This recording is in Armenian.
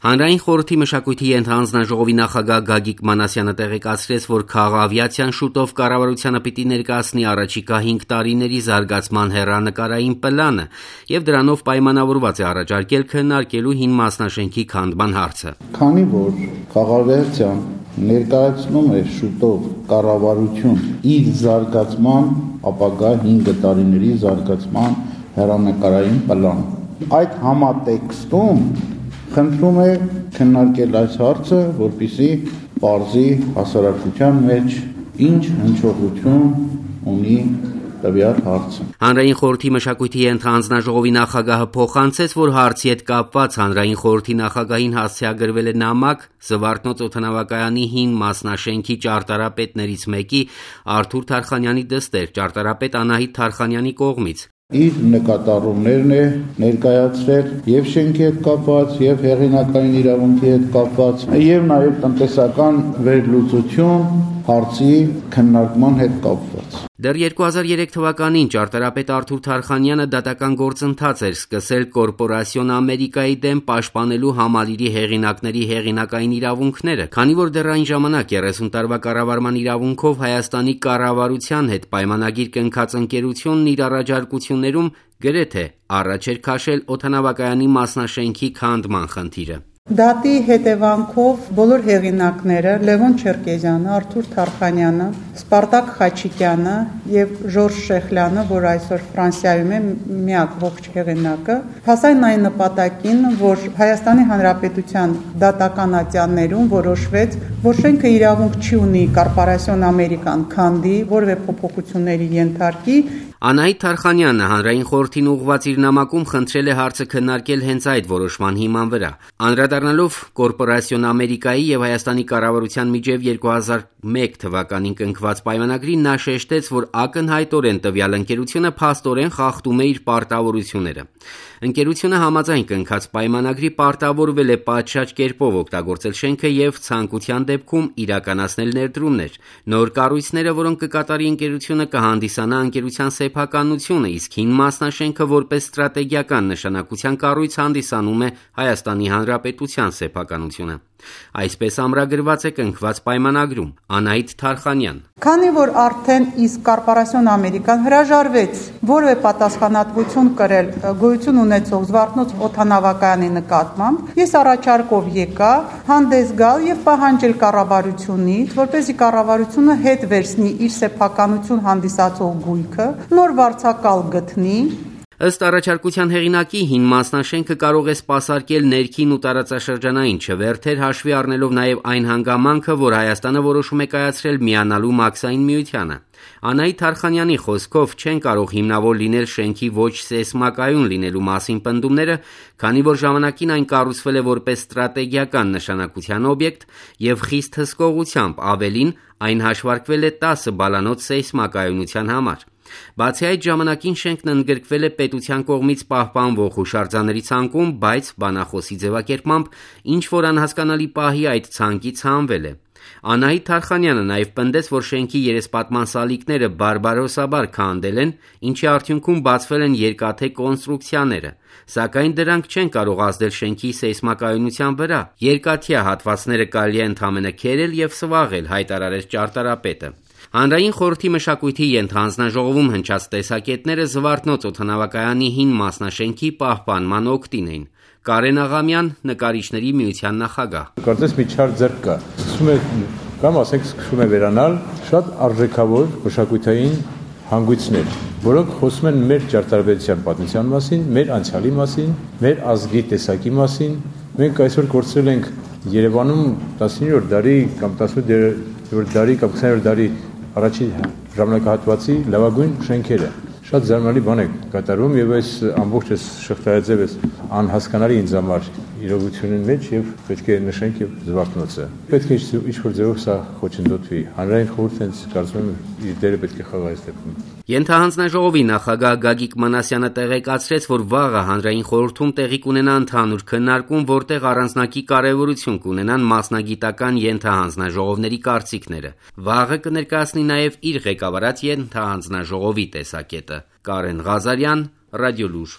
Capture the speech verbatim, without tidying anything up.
Հանրային խորհրդի մշակույթի ենթահանձնաժողովի նախագահ Գագիկ Մանասյանը տեղեկացրեց, որ քաղավիացիան շուտով կառավարությանը պիտի ներկայացնի առաջիկա հինգ տարիների զարգացման հեռանկարային պլանը եւ դրանով պայմանավորված է առաջարկել քննարկելու հին մասնաշենքի քանդման հարցը։ Քանի որ քաղավիացիան ներկայացնում է շուտով կառավարություն իր զարգացման ապագա հինգ տարիների զարգացման հեռանկարային պլան, այդ համատեքստում խնդրում է քննարկել այս հարցը, որպեսզի պարզի հասարակության մեջ ինչ հնչողություն ունի տվյալ հարցը։ Հանրային խորհրդի մշակույթի ենթահանձնաժողովի նախագահը փոխանցեց, որ հարցի հետ կապված հանրային խորհրդի նախագահին հասցեագրվել է նամակ Զվարթնոց օդանավակայանի հին մասնաշենքի ճարտարապետներից մեկի Արթուր Թարխանյանի դստեր, ճարտարապետ Անահիտ Թարխանյանի կողմից։ Իր նկատառումներն է ներկայացրել եւ շենքի հետ կապված, եւ հեղինակային իրավունքի հետ կապված, եւ նաեւ տնտեսական վերլուծություն հարցի քննարկման հետ կապված։ Դեռ երկու հազար երեք թվականին ճարտարապետ Արթուր Թարխանյանը դատական գործընթաց էր սկսել Կորպորասիոն Ամերիկայի դեմ պաշտպանելու համալիրի հեղինակների հեղինակային իրավունքները, քանի որ դեռ այն ժամանակ երեսուն տարվա կառավարման իրավունքով Հայաստանի կառավարության հետ պայմանագիր կնքած ընկերությունն իր առաջարկություններում գրեթե առաջ էր քաշել օդանավակայանի մասնաշենքի քանդման խնդիրը։ Դատի հետևանքով բոլոր հեղինակները Լևոն Չերկեզյանը, Արթուր Թարխանյանը, Սպարտակ Խաչիկյանը եւ Ժորժ Շեխլյանը, որ այսօր Ֆրանսիայում է միակ ողջ հեղինակը, հասան այն նպատակին, որ Հայաստանի Հանրապետության դատական ատյաններում որոշվեց, որ շենքը իրավունք չի ունի Կորպորասիոն Ամերիկան քանդի, որևէ փոփոխությունների ենթարկի։ Անահիտ Թարխանյանը հանրային խորհրդին ուղղված իր նամակում խնդրել է հարցը քննարկել հենց այդ որոշման հիման վրա։ Անդրադառնալով Կորպորասիոն Ամերիկայի եւ Հայաստանի կառավարության միջև երկու հազար մեկ թվականին կնքված պայմանագրին նա շեշտեց, որ ակնհայտորեն տվյալ ընկերությունը փաստորեն խախտում է իր պարտավորությունները։ Ընկերությունը համաձայն կնքած պայմանագրի պարտավորվել է պատշաճ կերպով օգտագործել շենքը եւ ցանկության դեպքում իրականացնել ներդրումներ։ Նոր կառույցները, որոնք կկատարի ընկերությունը, կհանդիսանա ընկերության սեփականությունը, իսկ հին մասնաշենքը որպես ստրատեգիական նշանակության կառույց հանդիսանում է Հայաստանի Հանրապետության սեփականությունը։ Այսպես ամրագրված է կնքված պայմանագրում։ Անահիտ Թարխանյան։ Քանի որ արդեն իսկ Կորպորասիոն Ամերիկան հրաժարվեց որևէ պատասխանատվություն կրել գոյություն ունեցող Զվարթնոց օդանավակայանի նկատմամբ, ես առաջարկով եկա հանդես գալ եւ պահանջել կառավարությունից, որպեսզի կառավարությունը հետ վերցնի իր սեփականություն հանդիսացող գույքը, նոր վարձակալ գտնի։ Ըստ առաջարկության հեղինակի հին մասնաշենքը կարող է սպասարկել ներքին ու տարածաշրջանային չվերթեր, հաշվի առնելով նաև այն հանգամանքը, որ Հայաստանը որոշում է կայացրել միանալու Մաքսային միությանը։ Անահիտ Թարխանյանի խոսքով չեն կարող հիմնավոր լինել շենքի ոչ սեյսմակայուն լինելու մասին պնդումները, քանի որ ժամանակին այն կառուցվել է որպես ստրատեգիական նշանակության օբյեկտ եւ խիստ հսկողությամբ, ավելին այն հաշվարկվել է տասը բալանոց սեյսմակայունության համար։ Բացի այդ ժամանակին շենքն ընդգրկվել է պետության կողմից պահպանվող հուշարձանների ցանկում, բայց բանախոսի ձևակերպմամբ ինչ որ անհասկանալի պահի այդ ցանկից հանվել է։ Անահիտ Թարխանյանը նաև պնդեց, որ շենքի երեսպատման սալիկները բարբարոսաբար քանդել են, ինչի արդյունքում բացվել են երկաթե կոնստրուկցիաները, սակայն դրանք չեն կարող ազդել շենքի սեյսմակայունության վրա։ Երկաթյա հատվածները կարելի է ընդամենը քերել եւ սվաղել, հայտարարեց ճարտարապետը։ Հանրային խորհրդի մշակույթի ենթահանձնաժողովում հնչած տեսակետները Զվարթնոց օդանավակայանի հին մասնաշենքի պահպանման օգտին էին։ Կարեն Աղամյան, նկարիչների միության նախագահ։ Կարծես մի չար ձեռք կա։ Սկսում է կամ ասենք սկսում է վերանալ շատ արժեքավոր մշակութային հանգույցներ, որոնք խոսում են մեր ճարտարապետության պատմության մասին, մեր անցյալի մասին, մեր ազգի տեսակի մասին։ Մենք այսօր կորցրել ենք Երևանում տասնիններորդ դարի կամ տասնութերորդ դարի կամ քսաներորդ դարի առաջին ժամանակահատվածի լավագույն շենքերը։ Շատ զարմանալի բան է կատարում եւ այս ամբողջ այս շղթայաձև էս անհասկանալի ինձ համար իրողությունի մեջ եւ պետք է նշենք եւ Զվարթնոցը։ Պետք է ինչ-որ ձևով սա խոչընդոտվի։ Հանրային խորհուրդը կարծում եմ իր դերը պետք է խաղա այս դեպքում։ Ենթահանձնաժողովի նախագահ Գագիկ Մանասյանը տեղեկացրեց, որ վաղը հանրային խորհրդում տեղի կունենա ընդհանուր քննարկում, որտեղ առանձնակի կարևորություն կունենան մասնագիտական ենթահանձնաժողովների կարծիքները։ Վաղը կներկայացնի նաև իր ղեկավարած ենթահանձնաժողովի տեսակետը։ Կարեն Ղազարյան, Ռադիոլուր։